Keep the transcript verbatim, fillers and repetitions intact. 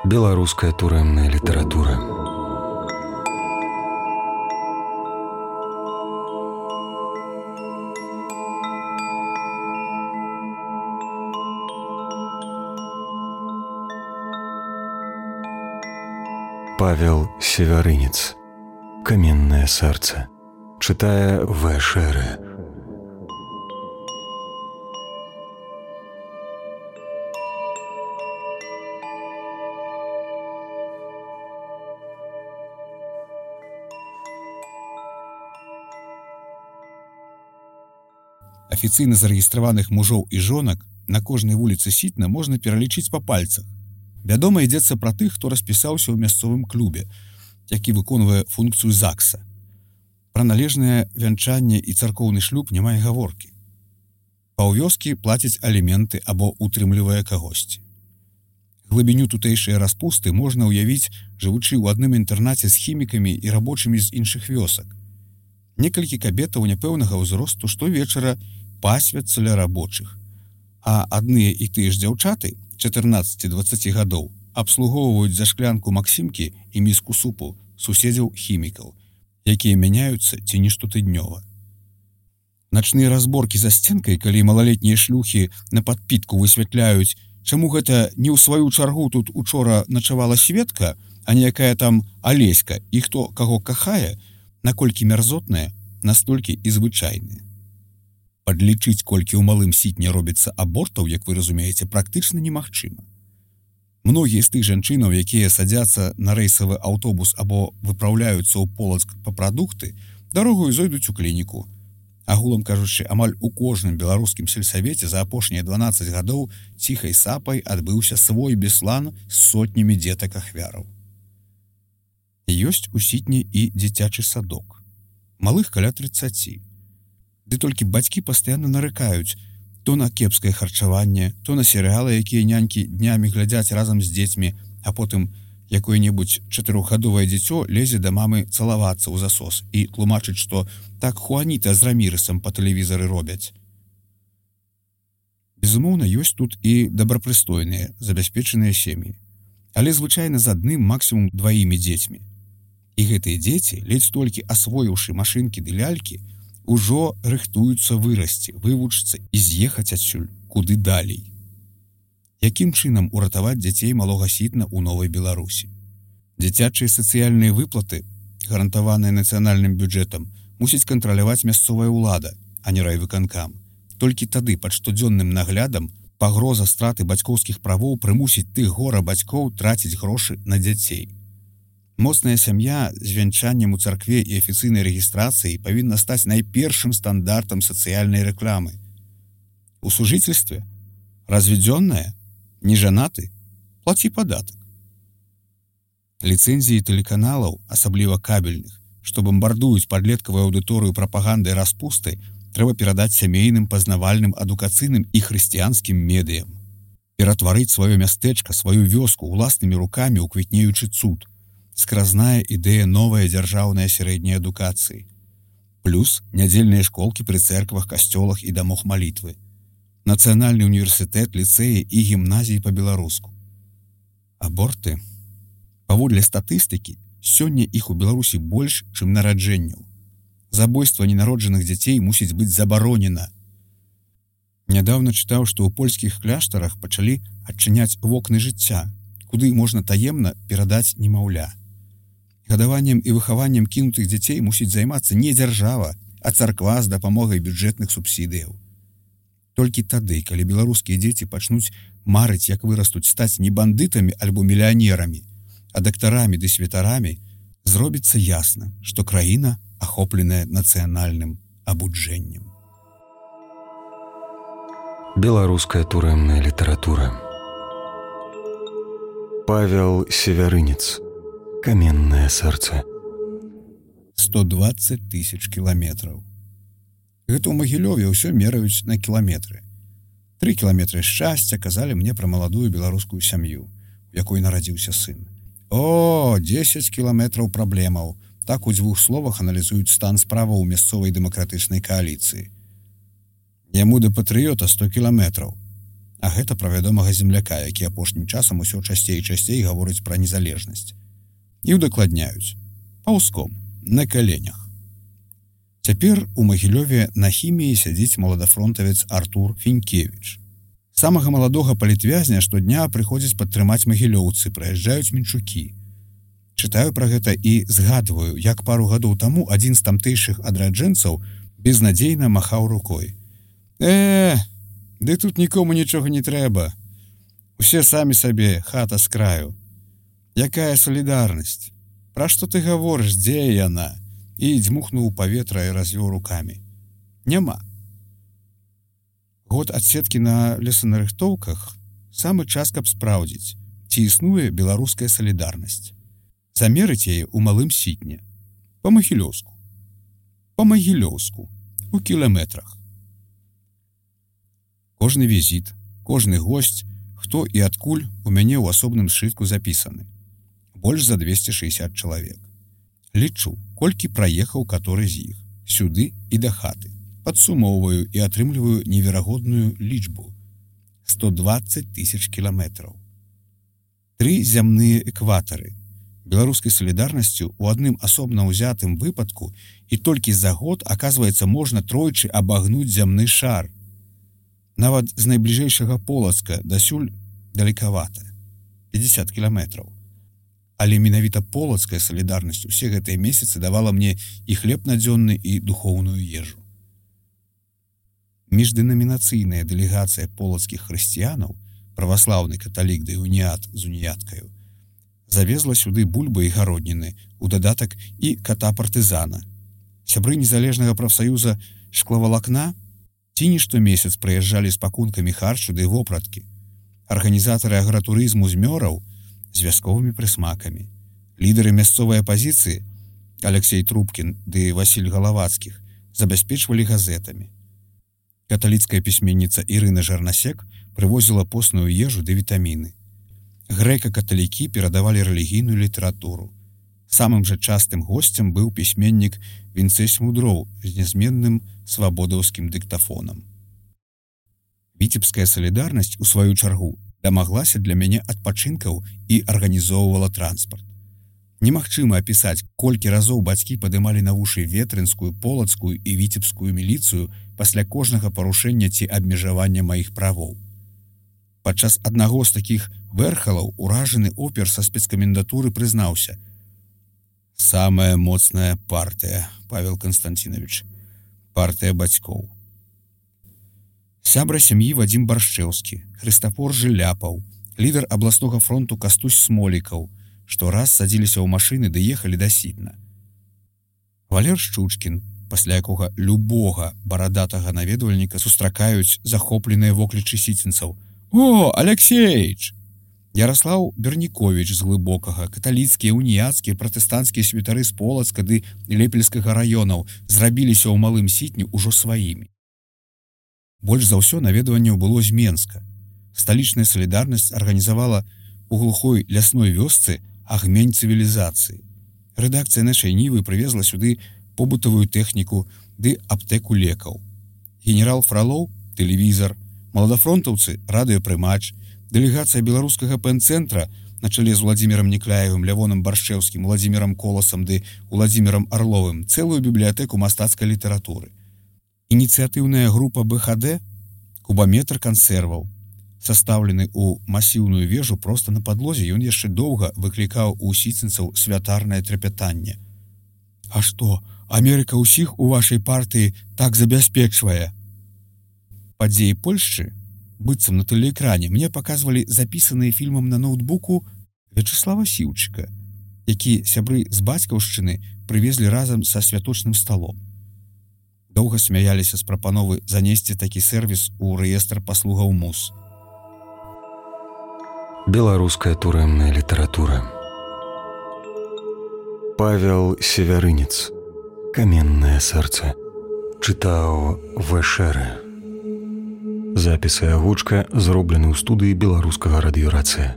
Беларуская турэмная літаратура. Павел Севярынец. Каменное сердце. Читая В. Шеры. Афіцыйна зарэгістраваных мужоў і жонак на кожнай вуліцы Сітна можна пералічыць па пальцах. Вядома, ідзецца пра тых, хто распісаўся ў мясцовым клубе, які выконвае функцыю ЗАГСа. Пра належнае вянчанне і царкоўны шлюб няма і гаворкі. Паўвёскі плацяць аліменты або утрымлівае кагосьці. Глыбіню тутэйшай распусты можна ўявіць, жывучы ў адным інтэрнаце з хімікамі і рабочымі з іншых вёсак. Некалькі кабетаў няпэўнага ўзросту штовечара пасвяцца ля рабочых, а адныя і тыя ж дзяўчаты чатырнаццаці-дваццаці гадоў абслугоўваюць за шклянку максімкі і міску супу суседзяў хімікаў, якія мяняюцца ці не штотыднёва. Начныя разборкі за сценкай, калі малалетнія шлюхі на падпітку высвятляюць, чаму гэта не ў сваю чаргу тут учора начавала Светка, а не якая там Алеська, і хто каго кахае, наколькі мярзотныя, настолькі і звычайныя. Падлічыць, колькі ў малым Сітне робіцца абортаў, як вы разумееце, практычна немагчыма. Многія з тых жанчынаў, якія садзяцца на рэйсавы аўтобус або выпраўляюцца ў Полацк па прадукты, дарогаю зойдуць у клініку. Агулам кажучы, амаль у кожным беларускім сельсавеце за апошнія дванаццаць гадоў ціхай сапай адбыўся свой беслан з сотнямі дзетак-ахвяраў. Ёсць у Сітні і дзіцячы садок. Малых каля трыццаці. Ды толькі бацькі пастаянна нарыкаюць то на кепскае харчаванне, то на серыялы, якія нянькі днямі глядзяць разам з дзецьмі, а потым якое-небудзь чатырохгадовае дзіцё лезе да мамы цалавацца ў засос і тлумачыць, што так Хуаніта з Рамірысам па тэлевізары робяць. Безумоўна, ёсць тут і добрапрыстойныя, забяспечаныя сем'і, але звычайна з адным, максімум дваімі дзецьмі. І гэтыя дзеці, ледзь толькі асвоіўшы машынкі ды лялькі, ужо рыхтуюцца вырасці, вывучыцца і з'ехаць адсюль куды далей. Якім чынам уратаваць дзяцей малога Сітна ў Новай Беларусі? Дзіцячыя сацыяльныя выплаты, гарантаваныя нацыянальным бюджэтам, мусіць кантраляваць мясцовая ўлада, а не райвыканкам. Толькі тады пад штодзённым наглядам пагроза страты бацькоўскіх правоў прымусіць тых гора бацькоў траціць грошы на дзяцей. Моцная сям'я з вянчаннем у царкве і афіцыйнай рэгістрацыяй павінна стаць найпершым стандартам сацыяльнай рэкламы. У сужительстве разведзённая, не жанаты, плаці падатак. Ліцэнзіі тэлеканалаў, асабліва кабельных, што бамбардуюць падлеткавую аўдыторыю прапагандай распустай, трэба перадаць сямейным, пазнавальным, адукацыйным і хрысціянскім медыям. Ператварыць сваё мястэчка, сваю вёску уласнымі рукамі ў квітнеючы цуд. Скразная ідэя новая дзяржаўная сярэдняй адукацыі. Плюс нядзельныя школкі пры цэрквах, касцёлах і дамах малітвы. Нацыянальны універсітэт, ліцэі і гімназіі па-беларуску. Аборты. Паводле статыстыкі, сёння іх у Беларусі больш, чым нараджэнняў. Забойства ненароджаных дзяцей мусіць быць забаронена. Нядаўна чытаў, што ў польскіх кляштарах пачалі адчыняць вокны жыцця, куды можна таемна перадаць немаўля. Гадаваннем і выхаваннем кінутых дзяцей мусіць займацца не дзяржава, а царква з дапамогай бюджэтных субсідыяў. Толькі тады, калі беларускія дзеці пачнуць марыць, як вырастуць стаць не бандытамі альбо мільянерамі, а дактарамі ды святарамі, зробіцца ясна, што краіна ахопленая нацыянальным абуджэннем. Беларуская турэмная літаратура. Павел Севярынец. Каменное сердце. сто дваццаць тысяч кіламетраў. Гэта ў Магілёве ўсё мераюць на кіламетры. Тры кіламетры шчасця казалі мне пра маладую беларускую сям'ю, у якой нарадзіўся сын. О, дзесяць кіламетраў праблемаў. Так у дзвюх словах аналізуюць стан справаў у мясцовай дэмакратычнай кааліцыі. Яму да патрыёта сто кіламетраў. А гэта пра вядомага земляка, які апошнім часам усё часцей і часцей гаворыць пра незалежнасць. І ўдакладняюць. Паўзком, на каленях. Цяпер у Магілёве на хіміі сядзіць маладафронтавец Артур Фінкевіч. Самага маладога палітвязня штодня прыходзяць падтрымаць магілёўцы, прыязджаюць мінчукі. Чытаю пра гэта і згадваю, як пару гадоў таму адзін з тамтэйшых адраджэнцаў безнадзейна махаў рукой. Э, ды тут нікому нічога не трэба. Усе самі сабе, хата з краю. Якая салідарнасць? Пра што ты гаворыш, дзе яна? І дзьмухнуў у паветра і развёў рукамі. Няма. Год адсеткі на лесанарыхтоўках самы час, каб спраўдзіць, ці існуе беларуская салідарнасць. Замерыць яе ў малым сітне. Па-магілёўску. Па-магілёўску. У кіламетрах. Кожны візіт, кожны госць, хто і адкуль у мяне ў асобным сшытку запісаны. Больш за двесце шэсцьдзесят чалавек. Лічу, колькі праехаў каторы з іх, сюды і да хаты. Падсумоўваю і атрымліваю неверагодную лічбу. сто дваццаць тысяч кіламетраў. Тры зямныя экватары. Беларускай салідарнасцю ў адным асобна ўзятым выпадку і толькі за год, аказваецца, можна тройчы абагнуць зямны шар. Нават з найбліжэйшага Полацка дасюль далекавата. пятьдесят кіламетраў. Але менавіта полацкая салідарнасць усе гэтыя месяцы давала мне і хлеб надзённы, і духоўную ежу. Міждэнамінацыйная дэлегацыя полацкіх хрысціянаў, праваслаўны каталік ды уніят з уніяткаю, завезла сюды бульбы і гародніны, у дадатак і ката-партызана. Сябры незалежнага прафсаюза шклавалакна ці не штомесяц прыязджалі з пакункамі харчу ды вопраткі. Арганізатары агратурызму з Мёраў з вясковымі прысмакамі. Лідары мясцовай апазіцыі Алексей Трубкін ды Васіль Галавацкіх забяспечвалі газетамі. Каталіцкая пісьменніца Ірына Жарнасек прывозіла постную ежу ды вітаміны. Грэка-каталікі перадавалі рэлігійную літаратуру. Самым жа частым госцем быў пісьменнік Вінцэсь Мудроў з нязменным свабодаўскім дыктафонам. Віцебская салідарнасць, у сваю чаргу, дамаглася для мяне адпачынкаў і арганізоўвала транспарт. Немагчыма апісаць, колькі разоў бацькі падымалі на вушы ветрынскую, полацкую і віцебскую міліцыю пасля кожнага парушэння ці абмежавання маіх правоў. Падчас аднаго з такіх вэрхалаў уражаны опер са спецкамендатуры прызнаўся: «Самая моцная партыя, Павел Константинович, партыя бацькоў». Сябра сям'і Вадзім Баршчэўскі, Хрыстафор Жыляпаў, лідар абласнога фронту Кастусь Смолікаў, што раз садзіліся ў машыны ды ехалі да Сітна. Валер Шчучкін, пасля якога любога барадатага наведвальніка сустракаюць захопленыя воклічы сіцінцаў. «О, Алексеич!» Ярослаў Берніковіч з Глыбокага, каталіцкія, уніяцкія, пратэстанцкія святары з Полацка ды Лепельскага раёнаў зрабіліся ў малым Сітні ўжо сваімі. Больш за ўсё наведванняў было з Менска. Сталічная салідарнасць арганізавала у глухой лясной вёсцы агмень цывілізацыі. Рэдакцыя нашай Нівы прывезла сюды побытавую тэхніку ды аптэку лекаў. Генерал Фралоў – тэлевізар, маладафронтаўцы – радыёпрымач, дэлегацыя беларускага пэн-цэнтра на чале з Владзімірам Некляевым, Лявоном Баршчэўскім, Владзімірам Коласам ды Уладзімірам Арловым цэлую бібліятэку мастацкай літаратуры. Ініцыятыўная група бэ ха дэ – кубаметр кансерваў. Састаўлены ў масіўную вежу проста на падлозе, ён яшчэ доўга выклікаў у сіцінцаў святарнае трапятанне. «А што, Амерыка ўсіх у вашай партыі так забяспечвае?» Падзеі Польшчы, быццам на тэлеэкране, мне паказвалі запісаныя фільмам на ноутбуку Вячеслава Сіўчыка, які сябры з бацькаўшчыны прывезлі разам са святочным сталом. Доўга смяяліся з прапановы занесці такі сэрвіс у рэестр паслугаў МУС. Беларуская турэмная літаратура. Павел Севярынец. Каменнае сэрца. Чытаў Вэшэры. Запіс і агучка зроблены ў студыі беларускага радыёрацыя.